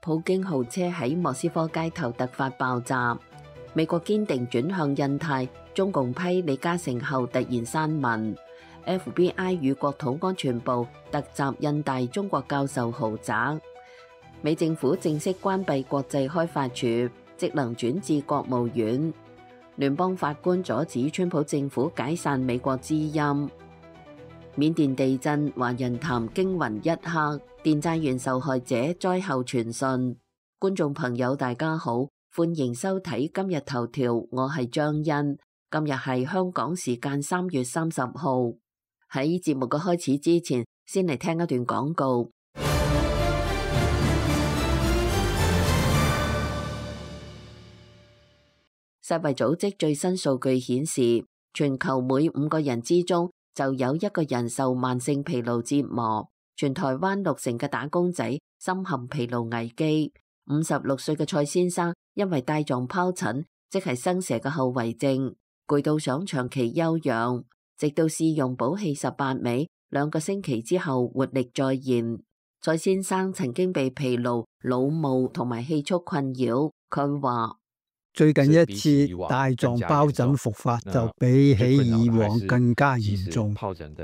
普京豪車喺莫斯科街頭突發爆炸。美國堅定轉向印太，中共批李嘉誠後突然刪文。FBI 與國土安全部突襲印大中國教授豪宅。美政府正式關閉國際開發署，職能轉至國務院。聯邦法官阻止川普政府解散美國之音。緬甸地震，華人談驚魂一刻，電債員受害者災後傳訊。觀眾朋友大家好，歡迎收睇今日頭條，我係張欣。今日係香港時間3月30號。喺節目嘅開始之前，先嚟聽一段廣告。世衛組織最新數據顯示，全球每5個人之中就有1個人受慢性疲勞折磨。全台灣6成嘅打工仔深陷疲勞危機。56歲嘅蔡先生因為帶狀疱疹，即係生蛇嘅後遺症，攰到想長期休養，直到試用補氣18味，2個星期之後活力再現。蔡先生曾經被疲勞、腦霧同埋氣促困擾，佢話：最近一次帶狀疱疹復發就比起以往更加嚴重。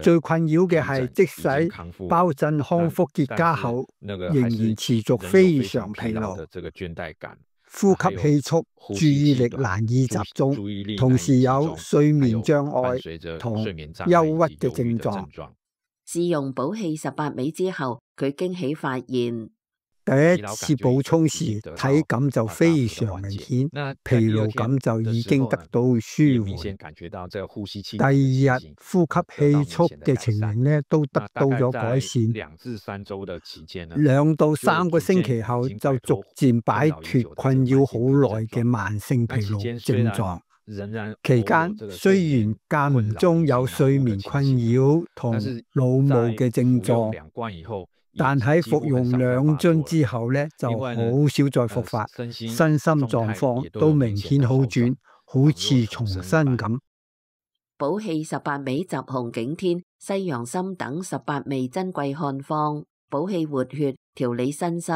最困擾嘅係，即使疱疹康復結痂後，仍然持續非常疲勞、呼吸氣促、注意力難以集中，同時有睡眠障礙同憂鬱嘅症狀。試用補氣18味之後，佢驚喜發現，第一次補充時體感就非常明顯，疲勞感就已經得到舒緩。第二日呼吸氣促嘅情形呢都得到咗改善。2到3個星期後就逐漸擺脫困擾好耐嘅慢性疲勞症狀。期間雖然間唔中有睡眠困擾同腦霧嘅症狀，但喺服用2樽之後呢，就好少再復發，身心狀況都明顯好轉，好似重新咁。補氣18味集紅景天、西洋參等18味珍貴漢方，補氣活血、調理身心，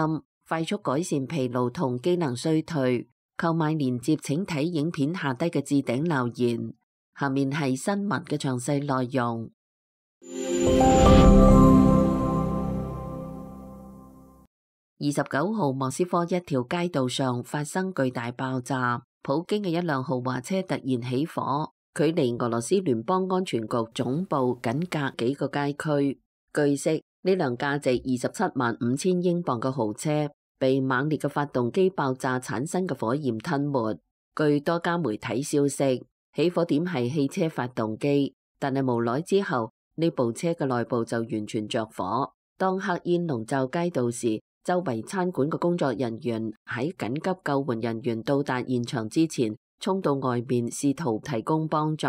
快速改善疲勞同機能衰退。購買鏈接請睇影片下低嘅置頂留言。下面係新聞嘅詳細內容。29號莫斯科一條街道上發生巨大爆炸，普京嘅一輛豪華車突然起火，距離俄羅斯聯邦安全局總部僅隔幾個街區。據悉，呢輛價值275000英鎊嘅豪車被猛烈嘅發動機爆炸產生嘅火焰吞沒。據多家媒體消息，起火點係汽車發動機，但係無耐之後，呢部車嘅內部就完全着火。當黑煙籠罩街道時，周圍餐館嘅工作人員喺緊急救援人員到達現場之前，衝到外面試圖提供幫助，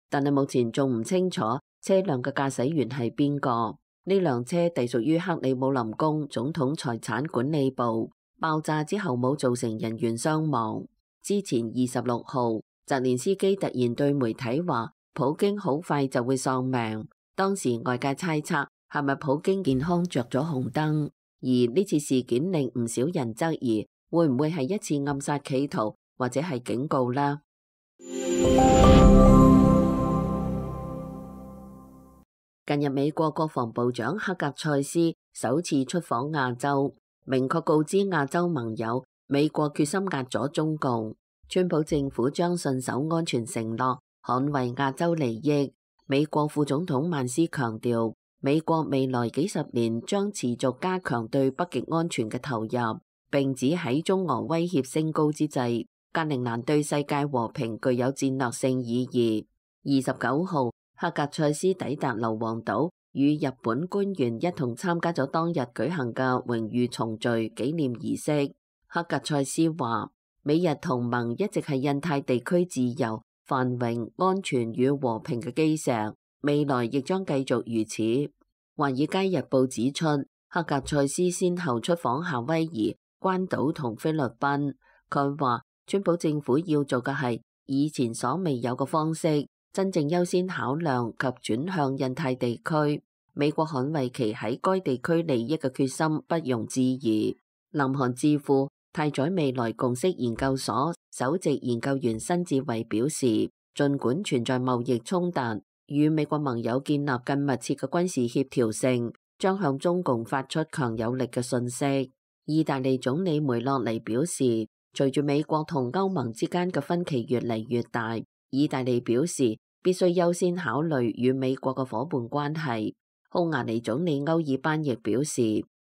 但係目前仲唔清楚車輛嘅駕駛員係邊個。呢輛車隸屬於克里姆林宮總統財產管理部。爆炸之後冇造成人員傷亡。之前26號，澤連斯基突然對媒體話，普京好快就會喪命。當時外界猜測係咪普京健康着咗紅燈，而呢次事件令唔少人質疑，會唔會係一次暗殺企圖，或者係警告呢？近日，美國國防部長克格塞斯首次出訪亞洲，明確告知亞洲盟友，美國決心壓阻中共。川普政府將信守安全承諾，捍衛亞洲利益。美國副總統曼斯強調，美國未來幾十年將持續加強對北極安全嘅投入，並指喺中俄威脅升高之際，格陵蘭對世界和平具有戰略性意義。29號，克格塞斯抵達硫磺島，與日本官員一同參加咗當日舉行嘅榮譽重聚紀念儀式。克格塞斯話，美日同盟一直係印太地區自由、繁榮、安全與和平嘅基石，未來亦將繼續如此。華爾街日報指出，克格塞斯先後出訪夏威夷、關島同菲律賓。佢話，川普政府要做嘅係以前所未有嘅方式，真正優先考量及轉向印太地區，美國捍衛其喺該地區利益嘅決心不容置疑。南韓智庫太宰未來共識研究所首席研究員辛志偉表示，儘管存在貿易衝突，與美國盟友建立更密切嘅軍事協調性，將向中共發出強有力嘅訊息。意大利總理梅洛尼表示，隨住美國同歐盟之間嘅分歧越嚟越大，意大利表示必須優先考慮與美國嘅夥伴關係。匈牙利總理歐爾班亦表示，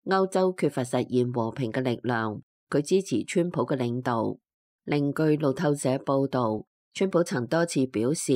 歐洲缺乏實現和平嘅力量，佢支持川普嘅領導。另據路透社報導，川普曾多次表示，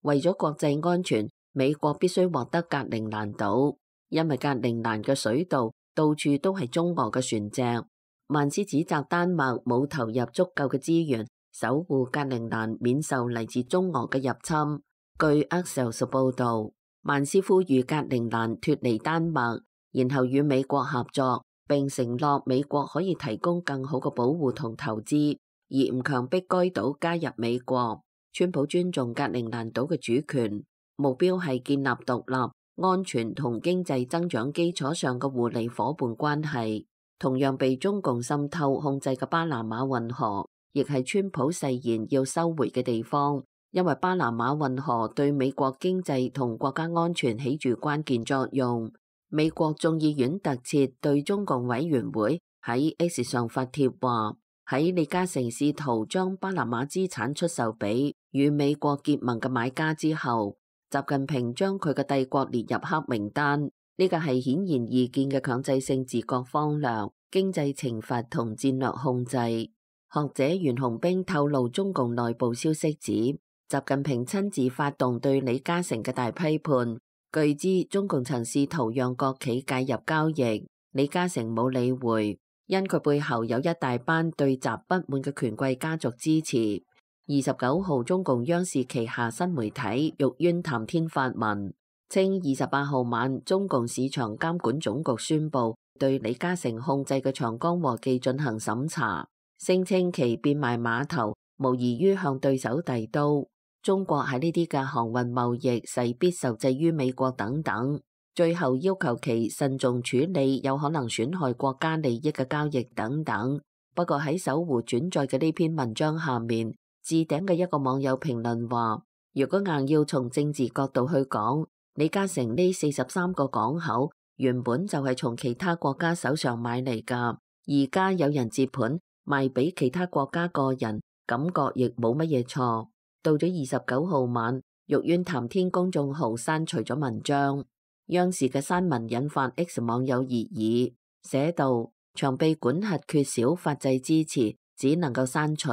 為咗國際安全，美國必須獲得格陵蘭島，因為格陵蘭嘅水道到處都係中俄嘅船隻。曼斯指責丹麥冇投入足夠嘅資源守護格陵蘭免受嚟自中俄嘅入侵。據 Axios 報導，曼斯呼籲格陵蘭脫離丹麥，然後與美國合作，並承諾美國可以提供更好嘅保護同投資，而唔強迫該島加入美國。川普尊重格陵蘭島嘅主權，目標係建立獨立、安全同經濟增長基礎上嘅互利夥伴關係。同樣被中共滲透控制嘅巴拿馬運河，亦係川普誓言要收回嘅地方，因為巴拿馬運河對美國經濟同國家安全起住關鍵作用。美國眾議院特設對中共委員會喺 X 上發帖話，喺李嘉誠試圖將巴拿馬資產出售俾與美國結盟嘅買家之後，習近平將佢嘅帝國列入黑名單。呢個係顯然易見嘅強制性自覺荒涼、經濟懲罰同戰略控制。學者袁紅冰透露中共內部消息指，習近平親自發動對李嘉誠嘅大批判。據知中共曾試圖讓國企介入交易，李嘉誠冇理會，因佢背後有一大班對習不滿嘅權貴家族支持。29號中共央視旗下新媒體玉淵談天發文，稱28號晚中共市場監管總局宣布對李嘉誠控制嘅長江和記進行審查，聲稱其變賣碼頭無異於向對手遞刀。中國喺呢啲嘅航運貿易勢必受制於美國等等，最後要求其慎重處理有可能損害國家利益嘅交易等等。不過喺搜狐轉載嘅呢篇文章下面，置頂嘅一個網友評論話，如果硬要從政治角度去講，李嘉誠呢43個港口原本就係從其他國家手上買嚟㗎，而家有人接盤賣俾其他國家個人，感覺亦冇乜嘢錯。到咗29號晚，玉淵談天公眾號刪除咗文章，央視嘅刪文引發 X 網友熱議，寫道：長臂管轄缺少法制支持，只能夠刪除，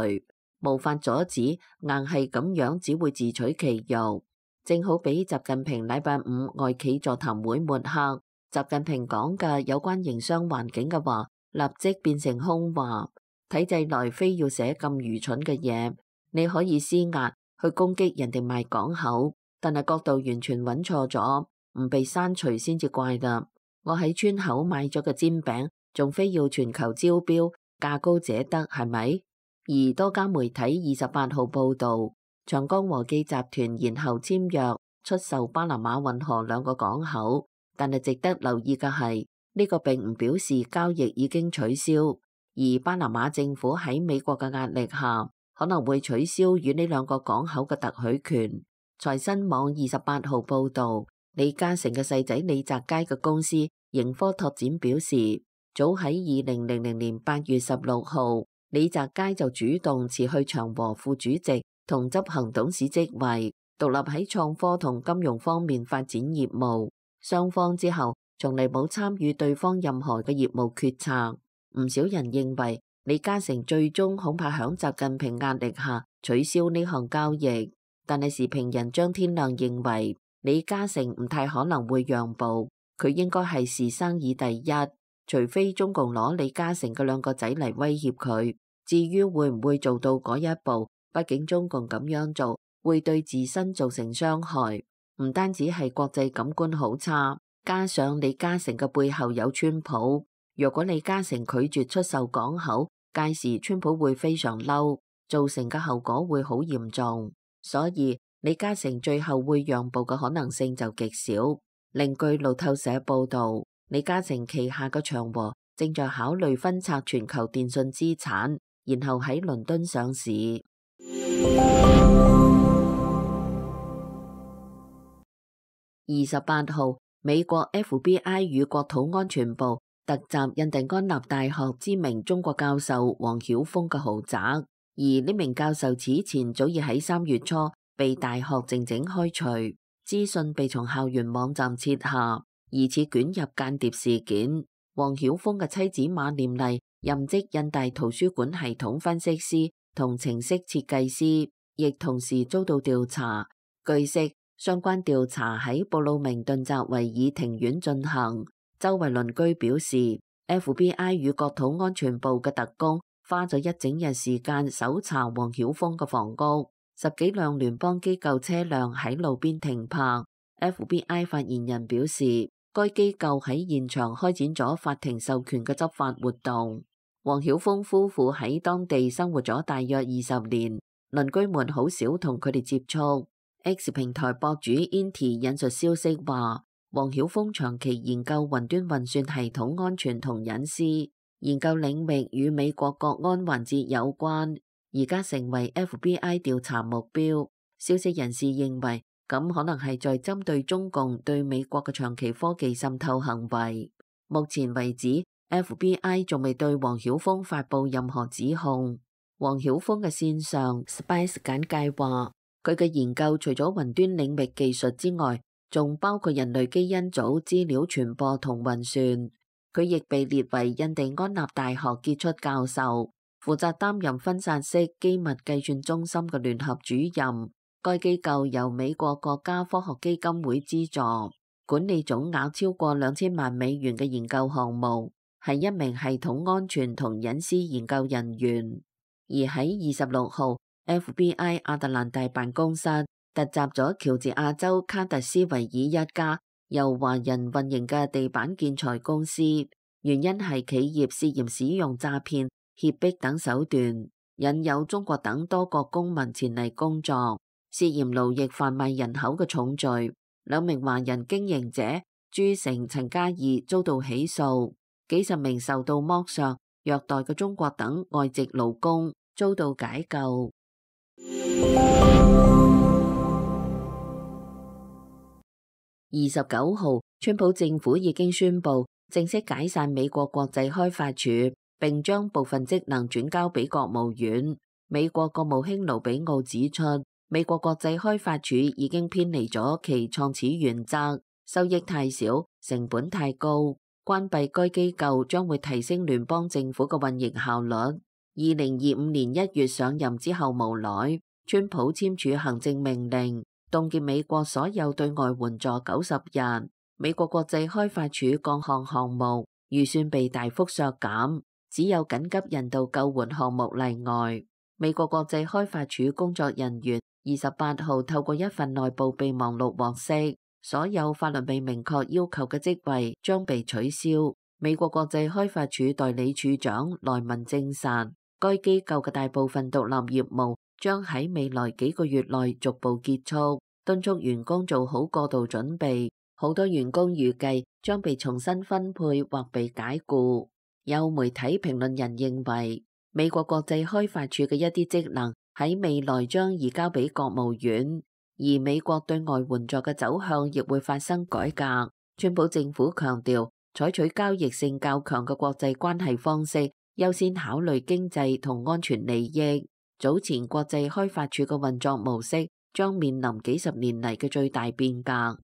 無法阻止，硬係咁樣只會自取其辱。正好俾習近平禮拜五外企座談會抹黑，習近平講嘅有關營商環境嘅話，立即變成空話。體制內非要寫咁愚蠢嘅嘢，你可以施壓去攻擊人哋賣港口，但係角度完全揾錯咗，唔被刪除先至怪啦。我喺村口買咗個煎餅，仲非要全球招標，價高者得係咪？而多家媒體28號報道，長江和記集團然後簽約出售巴拿馬運河2個港口，但係值得留意嘅係，呢個並唔表示交易已經取消，而巴拿馬政府喺美國嘅壓力下，可能會取消與呢2個港口嘅特許權。財新網28號報道，李嘉誠嘅細仔李澤楷嘅公司盈科拓展表示，早喺2000年8月16號，李澤楷就主動辭去長和副主席同執行董事職位，獨立喺創科同金融方面發展業務。雙方之後從嚟冇參與對方任何嘅業務決策。唔少人認為李嘉誠最終恐怕響習近平壓力下取消呢項交易，但係時評人張天亮認為李嘉誠唔太可能會讓步，佢應該係視生意第一，除非中共攞李嘉誠嘅2個仔嚟威脅佢。至於會唔會做到嗰一步，畢竟中共咁樣做會對自身造成傷害，唔單止係國際感官好差，加上李嘉誠嘅背後有川普。若果李嘉誠拒絕出售港口，屆時川普會非常嬲，造成嘅後果會好嚴重。所以李嘉誠最後會讓步嘅可能性就極少。另據路透社報道，李嘉誠旗下嘅長和正在考慮分拆全球電訊資產，然後喺倫敦上市。28號，美國 FBI 與國土安全部突襲印第安納大學知名中國教授王曉峰嘅豪宅，而呢名教授此前早已喺3月初被大學靜靜開除，資訊被從校園網站撤下，疑似捲入間諜事件。王曉峰嘅妻子馬念麗任職印大圖書館系統分析師同程式設計師，亦同時遭到調查。據悉，相關調查喺布魯明頓澤維爾庭院進行。周圍鄰居表示 ，FBI 與國土安全部嘅特工花咗一整日時間搜查王曉峰嘅房屋，10幾輛聯邦機構車輛喺路邊停泊。FBI 發言人表示，該機構喺現場開展咗法庭授權嘅執法活動。王曉峰夫婦喺當地生活咗大約20年，鄰居們好少同佢哋接觸。X 平台博主 Inti 引述消息話，王曉峰長期研究雲端運算系統安全同隱私，研究領域與美國國安環節有關，而家成為 FBI 調查目標。消息人士認為，咁可能係在針對中共對美國嘅長期科技滲透行為。目前為止， FBI 仲未對王曉峰發布任何指控。王曉峰嘅線上 Spice 簡介話，佢嘅研究除咗雲端領域技術之外，仲包括人類基因組資料傳播同運算。佢亦被列為印第安納大學傑出教授，負責擔任分散式機密計算中心嘅聯合主任。該機構由美國國家科學基金會資助，管理總額超過2000萬美元嘅研究項目，係一名系統安全同隱私研究人員。而喺26號， FBI 亞特蘭大辦公室突襲咗喬治亞州卡特斯維爾一家由華人運營嘅地板建材公司，原因係企業涉嫌使用詐騙、脅迫等手段，引誘中國等多國公民前嚟工作，涉嫌奴役販賣人口嘅重罪。2名華人經營者朱成、陳嘉義遭到起訴，幾十名受到剝削、虐待嘅中國等外籍勞工遭到解救。29號，川普政府已經宣布正式解散美國國際開發署，並將部分職能轉交俾國務院。美國國務卿盧比奧指出，美國國際開發署已經偏離咗其創始原則，收益太少，成本太高，關閉該機構將會提升聯邦政府嘅運營效率。2025年1月上任之後無耐，川普簽署行政命令，凍結美國所有對外援助90日。美國國際開發署各項項目預算被大幅削減，只有緊急人道救援項目例外。美國國際開發署工作人員28號透過一份內部備忘錄獲悉，所有法律未明確要求嘅職位將被取消。美國國際開發署代理處長萊文證實，該機構嘅大部分獨立業務將喺未來幾個月內逐步結束，敦促員工做好過渡準備。好多員工預計將被重新分配或被解僱。有媒體評論人認為，美國國際開發署嘅一啲職能喺未來將移交俾國務院，而美國對外援助嘅走向亦會發生改革。川普政府強調，採取交易性較強嘅國際關係方式，優先考慮經濟同安全利益。早前國際開發署嘅運作模式將面臨幾十年嚟嘅最大變革。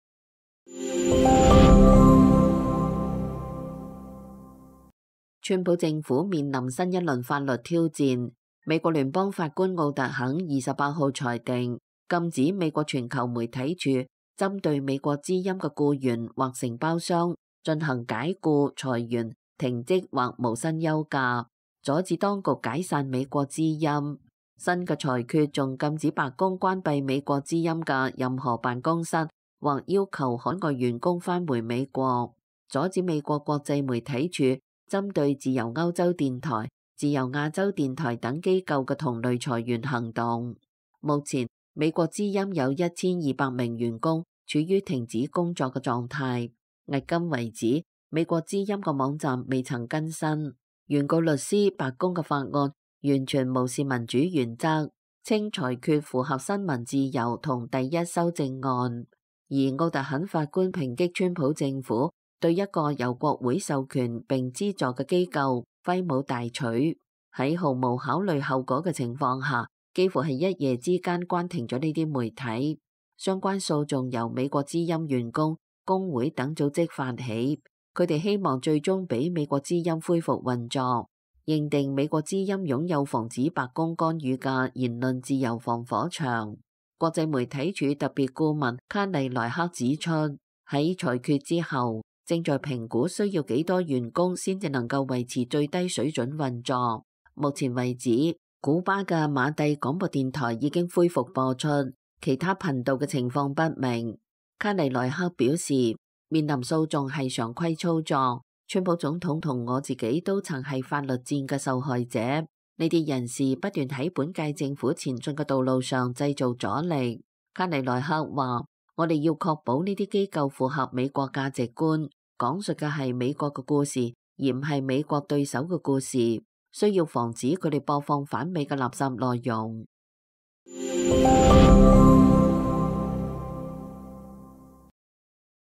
川普政府面臨新一輪法律挑戰。美國聯邦法官奧特肯28號裁定，禁止美國全球媒體處針對美國之音嘅僱員或承包商進行解僱、裁員、停職或無薪休假，阻止當局解散美國之音。新嘅裁決仲禁止白宮關閉美國之音嘅任何辦公室，或要求海外員工返回美國，阻止美國國際媒體處針對自由歐洲電台、自由亞洲電台等機構嘅同類裁員行動。目前，美國之音有1200名員工處於停止工作嘅狀態。迄今為止，美國之音個網站未曾更新。原告律師白宮嘅法案完全無視民主原則，稱裁決符合新聞自由同第一修正案。而奧特肯法官抨擊川普政府對一個由國會授權並資助嘅機構揮舞大錘，喺毫無考慮後果嘅情況下，幾乎係一夜之間關停咗呢啲媒體。相關訴訟由美國之音員工、工會等組織發起，佢哋希望最終俾美國之音恢復運作，認定美國之音擁有防止白宮干預嘅言論自由防火牆。國際媒體處特別顧問卡利萊克指出，喺裁決之後，正在評估需要幾多員工先至能夠維持最低水準運作。目前為止，古巴嘅馬蒂廣播電台已經恢復播出，其他頻道嘅情況不明。卡利萊克表示，面臨訴訟係常規操作，川普總統同我自己都曾係法律戰嘅受害者。呢啲人士不斷喺本屆政府前進嘅道路上製造阻力。卡利萊克話，我哋要確保呢啲機構符合美國價值觀，講述嘅係美國嘅故事，而唔係美國對手嘅故事。需要防止佢哋播放反美嘅垃圾內容。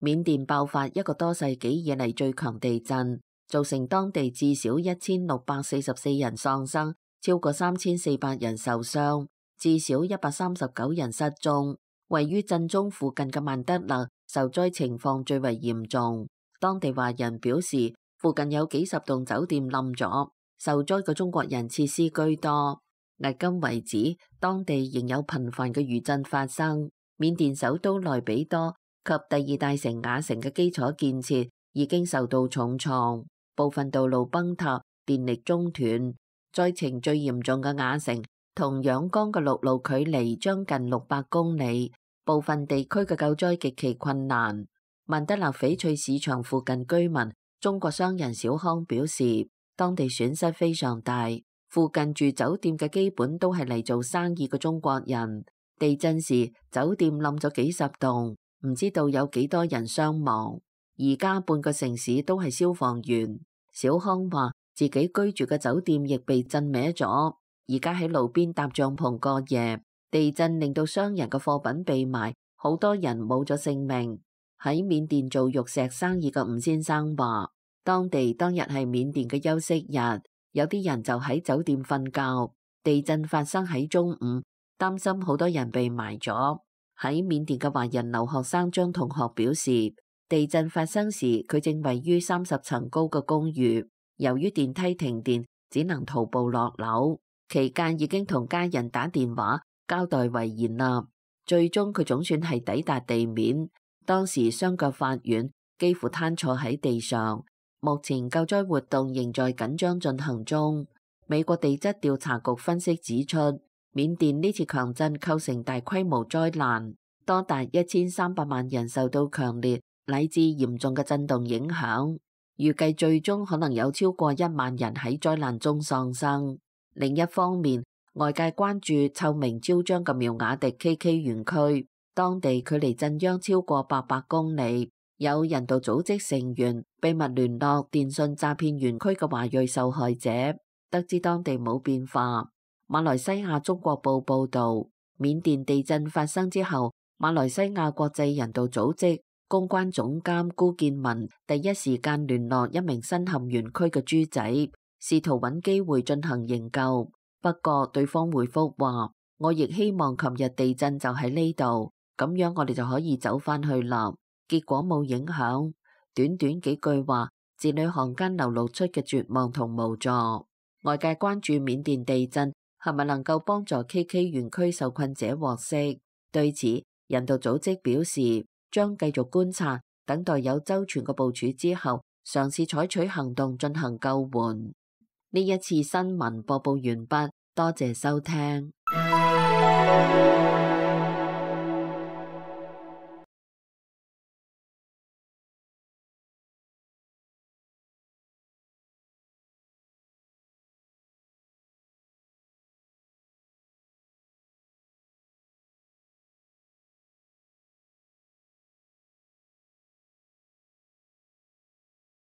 緬甸爆發一個多世紀以嚟最強地震，造成當地至少1644人喪生，超過3400人受傷，至少139人失蹤。位於震中附近嘅曼德勒受災情況最為嚴重。當地華人表示，附近有幾十棟酒店冧咗，受災嘅中國人設施居多。迄今為止，當地仍有頻繁嘅餘震發生。緬甸首都內比多及第二大城雅城嘅基礎建設已經受到重創，部分道路崩塌，電力中斷。災情最嚴重嘅雅城同仰光嘅陸路距離將近600公里，部分地區嘅救災極其困難。曼德勒翡翠市場附近居民中國商人小康表示，當地損失非常大，附近住酒店嘅基本都係嚟做生意嘅中國人。地震時酒店冧咗幾十棟，唔知道有幾多人傷亡。而家半個城市都係消防員。小康話自己居住嘅酒店亦被震歪咗，而家喺路邊搭帳篷過夜。地震令到商人嘅貨品被埋，好多人冇咗性命。喺緬甸做玉石生意嘅吳先生話，當日係緬甸嘅休息日，有啲人就喺酒店瞓覺。地震發生喺中午，擔心好多人被埋咗。喺緬甸嘅華人留學生張同學表示，地震發生時佢正位於30層高嘅公寓，由於電梯停電，只能徒步落樓。期間已經同家人打電話交代遺言啦。最終佢總算係抵達地面，當時雙腳發軟，幾乎癱坐喺地上。目前救災活動仍在緊張進行中。美國地質調查局分析指出，緬甸呢次強震構成大規模災難，多達1300萬人受到強烈乃至嚴重嘅震動影響，預計最終可能有超過1萬人喺災難中喪生。另一方面，外界關注臭名昭彰嘅苗瓦迪 KK 園區，當地距離震央超過800公里，有人道組織成員秘密聯絡電信詐騙園區嘅華裔受害者，得知當地冇變化。馬來西亞中國報報道，緬甸地震發生之後，馬來西亞國際人道組織公關總監辜建文第一時間聯絡一名身陷園區嘅豬仔，試圖揾機會進行營救。不過對方回覆話，我亦希望琴日地震就喺呢度，咁樣我哋就可以走返去啦。結果冇影響，短短幾句話，字裏行間流露出嘅絕望同無助。外界關注緬甸地震係咪能夠幫助 KK 園區受困者獲釋？對此，人道組織表示將繼續觀察，等待有周全嘅部署之後，嘗試採取行動進行救援。呢一次新聞播報完畢，多謝收聽。